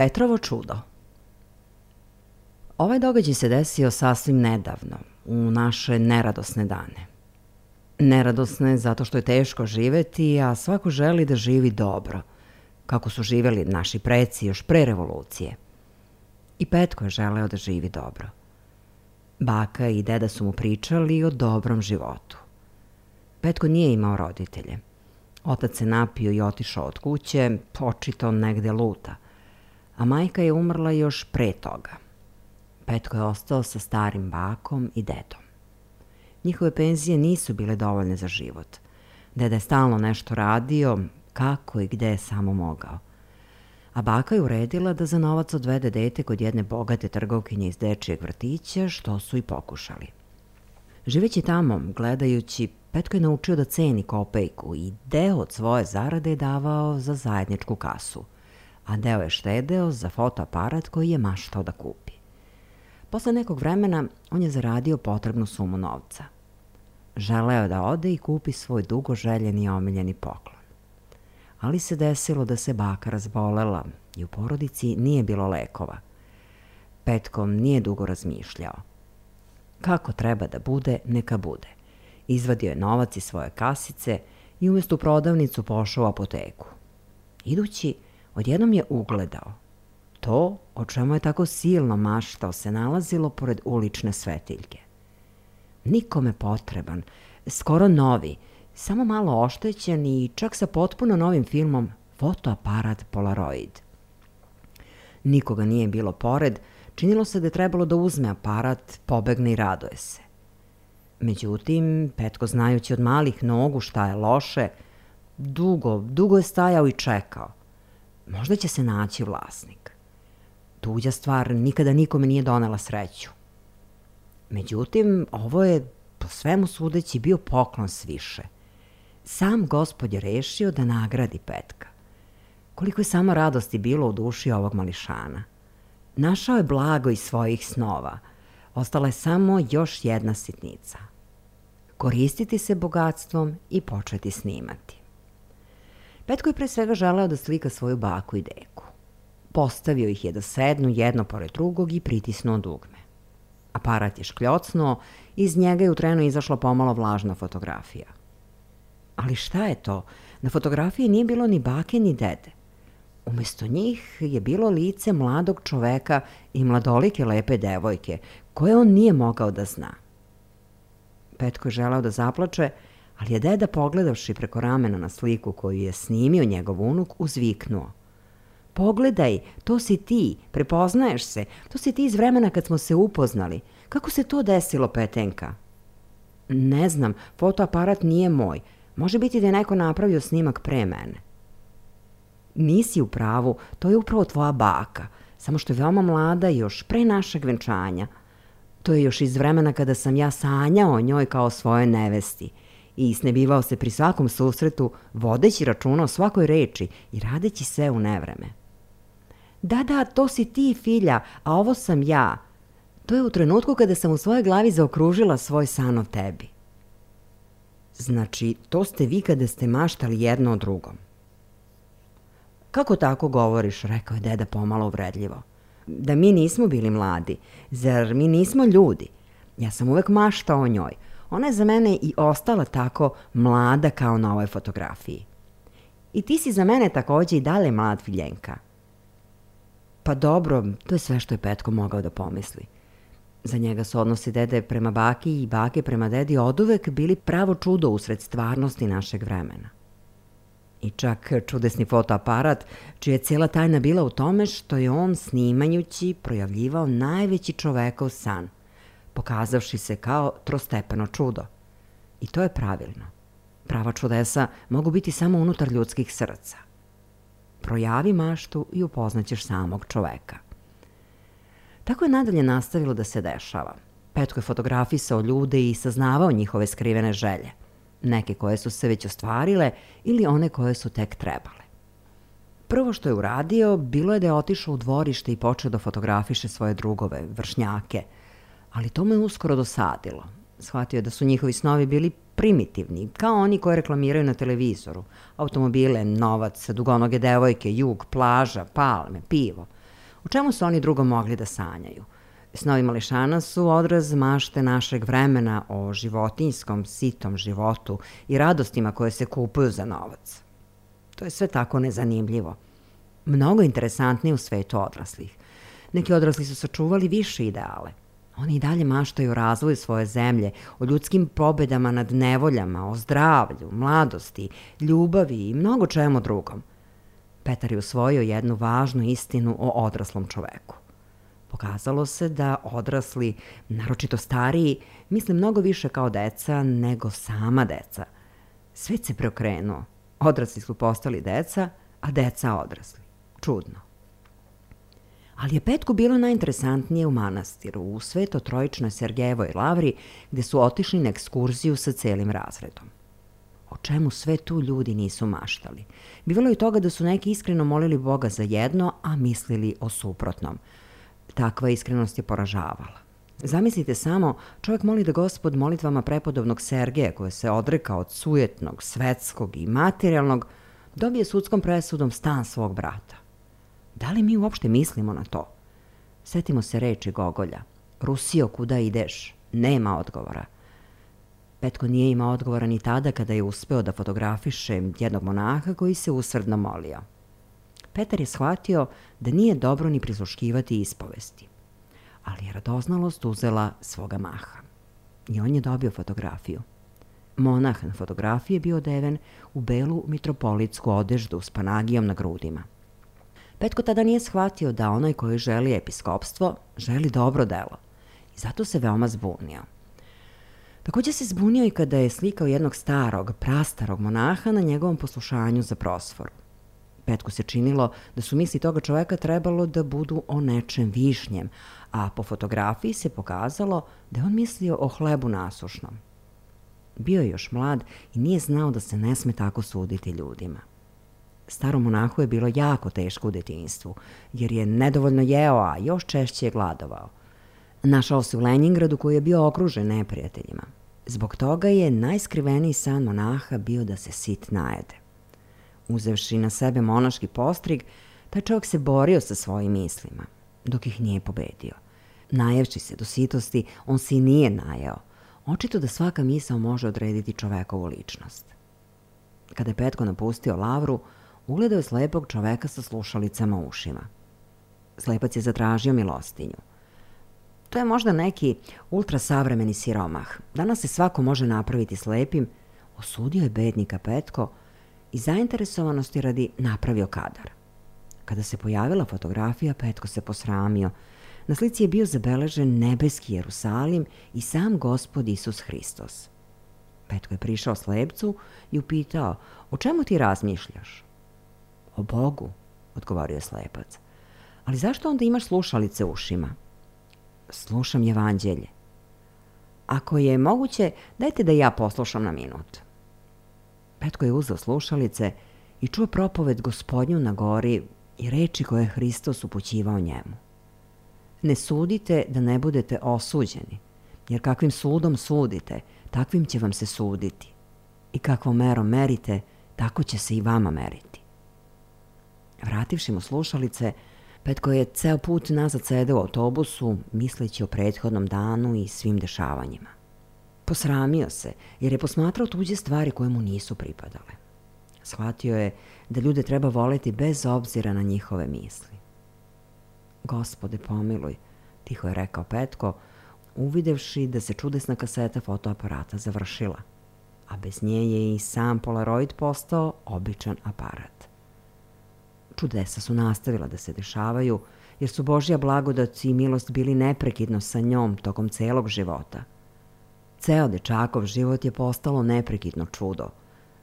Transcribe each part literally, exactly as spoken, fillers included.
Petrovo čudo. Ovaj događaj se desio sasvim nedavno, u naše neradosne dane. Neradosne zato što je teško živeti, a svako želi da živi dobro, kako su živeli naši preci još pre revolucije. I Petko je želeo da živi dobro. Baka i deda su mu pričali o dobrom životu. Petko nije imao roditelje. Otac se napio i otišao od kuće, očito negde luta, a majka je umrla još pre toga. Petko je ostao sa starim bakom i dedom. Njihove penzije nisu bile dovoljne za život. Deda je stalno nešto radio, kako i gde je samo mogao. A baka je uredila da za novac odvede dete kod jedne bogate trgovkinje iz dečijeg vrtića, što su i pokušali. Živeći tamo, gledajući, Petko je naučio da ceni kopejku i deo od svoje zarade je davao za zajedničku kasu, a deo je štedeo za fotoaparat koji je maštao da kupi. Posle nekog vremena on je zaradio potrebnu sumu novca. Želeo da ode i kupi svoj dugo željeni i omiljeni poklon. Ali se desilo da se baka razbolela i u porodici nije bilo lekova. Petko nije dugo razmišljao. Kako treba da bude, neka bude. Izvadio je novac iz svoje kasice i umjesto u prodavnicu pošao u apoteku. Idući, odjednom je ugledao. To, o čemu je tako silno maštao, se nalazilo pored ulične svetiljke. Nikome potreban, skoro novi, samo malo oštećen i čak sa potpuno novim filmom fotoaparat Polaroid. Nikoga nije bilo pored, činilo se da je trebalo da uzme aparat, pobegne i radoje se. Međutim, Petko, znajući od malih nogu šta je loše, dugo, dugo je stajao i čekao. Možda će se naći vlasnik. Tuđa stvar nikada nikome nije donela sreću. Međutim, ovo je, po svemu sudeći, bio poklon sviše. Sam Gospod je rešio da nagradi Petka. Koliko je samo radosti bilo u duši ovog mališana. Našao je blago iz svojih snova. Ostala je samo još jedna sitnica. Koristiti se bogatstvom i početi snimati. Petko je pre svega želeo da slika svoju baku i deku. Postavio ih je da sednu jedno pored drugog i pritisnuo dugme. Aparat je škljocnuo, iz njega je u trenu izašla pomalo vlažna fotografija. Ali šta je to? Na fotografiji nije bilo ni bake ni dede. Umesto njih je bilo lice mladog čoveka i mladolike lepe devojke, koje on nije mogao da zna. Petko je želeo da zaplače, ali je deda, pogledavši preko ramena na sliku koju je snimio njegov unuk, uzviknuo. Pogledaj, to si ti, prepoznaješ se, to si ti iz vremena kad smo se upoznali. Kako se to desilo, Petenka? Ne znam, fotoaparat nije moj. Može biti da je neko napravio snimak pre mene. Nisi u pravu, to je upravo tvoja baka, samo što je veoma mlada još pre našeg venčanja. To je još iz vremena kada sam ja sanjao o njoj kao svojoj nevesti i snebivao se pri svakom susretu, vodeći računa o svakoj reči i radeći sve u nevreme. Da, da, to si ti, filja, a ovo sam ja. To je u trenutku kada sam u svojoj glavi zaokružila svoj san o tebi. Znači, to ste vi kada ste maštali jedno o drugom. Kako tako govoriš, rekao je deda pomalo uvredljivo. Da mi nismo bili mladi, zar mi nismo ljudi? Ja sam uvek maštao o njoj. Ona je za mene i ostala tako mlada kao na ovoj fotografiji. I ti si za mene takođe i dalje mlad, Filjenka. Pa dobro, to je sve što je Petko mogao da pomisli. Za njega su odnosi dede prema baki i bake prema dedi oduvek bili pravo čudo usred stvarnosti našeg vremena. I čak čudesni fotoaparat, čija je cijela tajna bila u tome što je on, snimajući, projavljivao najveći čovekov san, pokazavši se kao trostepeno čudo. I to je pravilno. Prava čudesa mogu biti samo unutar ljudskih srca. Projavi maštu i upoznaćeš samog čoveka. Tako je nadalje nastavilo da se dešava. Petko je fotografisao ljude i saznavao njihove skrivene želje. Neke koje su se već ostvarile ili one koje su tek trebale. Prvo što je uradio bilo je da je otišao u dvorište i počeo da fotografiše svoje drugove, vršnjake, ali to mu je uskoro dosadilo. Shvatio je da su njihovi snovi bili primitivni, kao oni koje reklamiraju na televizoru. Automobile, novac, dugonoge devojke, jug, plaža, palme, pivo. U čemu su oni drugo mogli da sanjaju? Snovi mališana su odraz mašte našeg vremena o životinjskom, sitom životu i radostima koje se kupuju za novac. To je sve tako nezanimljivo. Mnogo interesantnije u svetu odraslih. Neki odrasli su sačuvali više ideale. Oni i dalje maštaju o razvoju svoje zemlje, o ljudskim pobedama nad nevoljama, o zdravlju, mladosti, ljubavi i mnogo čemu drugom. Petar je usvojio jednu važnu istinu o odraslom čoveku. Pokazalo se da odrasli, naročito stariji, misle mnogo više kao deca nego sama deca. Svet se preokrenuo. Odrasli su postali deca, a deca odrasli. Čudno. Ali je Petku bilo najinteresantnije u manastiru, u Sveto-Trojičnoj Sergejevoj lavri, gde su otišli na ekskurziju sa celim razredom. O čemu sve tu ljudi nisu maštali. Bivalo je toga da su neki iskreno molili Boga za jedno, a mislili o suprotnom. Takva iskrenost je poražavala. Zamislite samo, čovjek moli da Gospod molitvama prepodobnog Sergeja, koje se odrekao od sujetnog, svetskog i materijalnog, dobije sudskom presudom stan svog brata. Da li mi uopšte mislimo na to? Setimo se reči Gogolja. Rusijo, kuda ideš? Nema odgovora. Petko nije imao odgovora ni tada kada je uspeo da fotografiše jednog monaha koji se usrdno molio. Petar je shvatio da nije dobro ni prisluškivati ispovesti. Ali je radoznalost uzela svoga maha. I on je dobio fotografiju. Monah na fotografiji je bio odeven u belu mitropolitsku odeždu s panagijom na grudima. Petko tada nije shvatio da onaj koji želi episkopstvo želi dobro delo i zato se veoma zbunio. Također se zbunio i kada je slikao jednog starog, prastarog monaha na njegovom poslušanju za prosforu. Petku se činilo da su misli toga čoveka trebalo da budu o nečem višnjem, a po fotografiji se pokazalo da je on mislio o hlebu nasušnom. Bio je još mlad i nije znao da se ne sme tako suditi ljudima. Starom monahu je bilo jako teško u detinjstvu, jer je nedovoljno jeo, a još češće je gladovao. Našao se u Lenjingradu koji je bio okružen neprijateljima. Zbog toga je najskriveniji san monaha bio da se sit najede. Uzevši na sebe monaški postrig, taj čovjek se borio sa svojim mislima, dok ih nije pobedio. Najevši se do sitosti, on se i nije najeo. Očito da svaka misao može odrediti čovekovu ličnost. Kada je Petko napustio lavru, ugledao je slepog čoveka sa slušalicama u ušima. Slepac je zatražio milostinju. To je možda neki ultrasavremeni siromah. Danas se svako može napraviti slepim, osudio je bednika Petko i zainteresovanosti radi napravio kadar. Kada se pojavila fotografija, Petko se posramio. Na slici je bio zabeležen nebeski Jerusalim i sam Gospod Isus Hristos. Petko je prišao slepcu i upitao, o čemu ti razmišljaš? O Bogu, odgovorio je slepac. Ali zašto onda imaš slušalice u ušima? Slušam evanđelje. Ako je moguće, dajte da ja poslušam na minut. Petko je uzeo slušalice i čuo propoved Gospodnju na gori i reči koje je Hristos upućivao njemu. Ne sudite da ne budete osuđeni, jer kakvim sudom sudite, takvim će vam se suditi. I kakvom merom merite, tako će se i vama meriti. Vrativši mu slušalice, Petko je ceo put nazad sedeo u autobusu, misleći o prethodnom danu i svim dešavanjima. Posramio se, jer je posmatrao tuđe stvari koje mu nisu pripadale. Shvatio je da ljude treba voleti bez obzira na njihove misli. Gospode, pomiluj, tiho je rekao Petko, uvidevši da se čudesna kaseta fotoaparata završila, a bez nje je i sam Polaroid postao običan aparat. Čudesa su nastavila da se dešavaju, jer su Božja blagodat i milost bili neprekidno sa njom tokom celog života. Ceo dečakov život je postalo neprekidno čudo,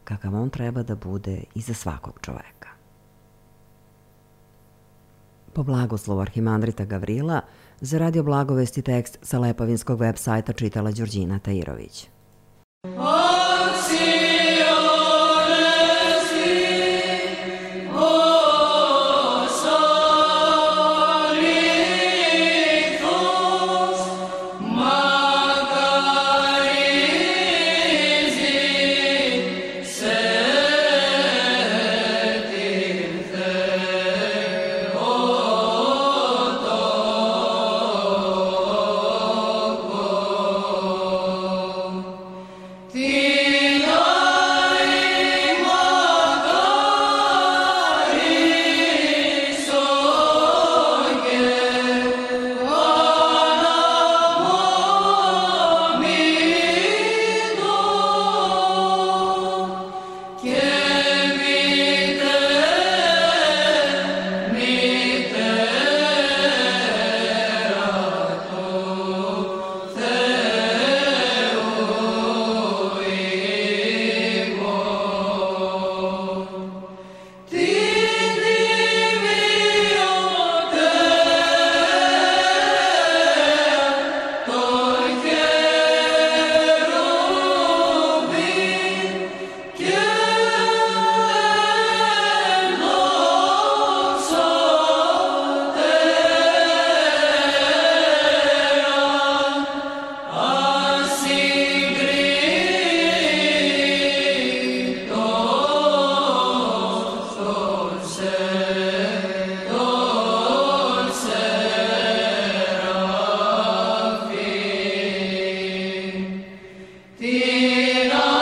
kakav on treba da bude i za svakog čoveka. Po blagoslovu arhimandrita Gavrila, za Radio Blagovesti tekst sa lepavinskog web sajta čitala Đurđina Tajirović. Tira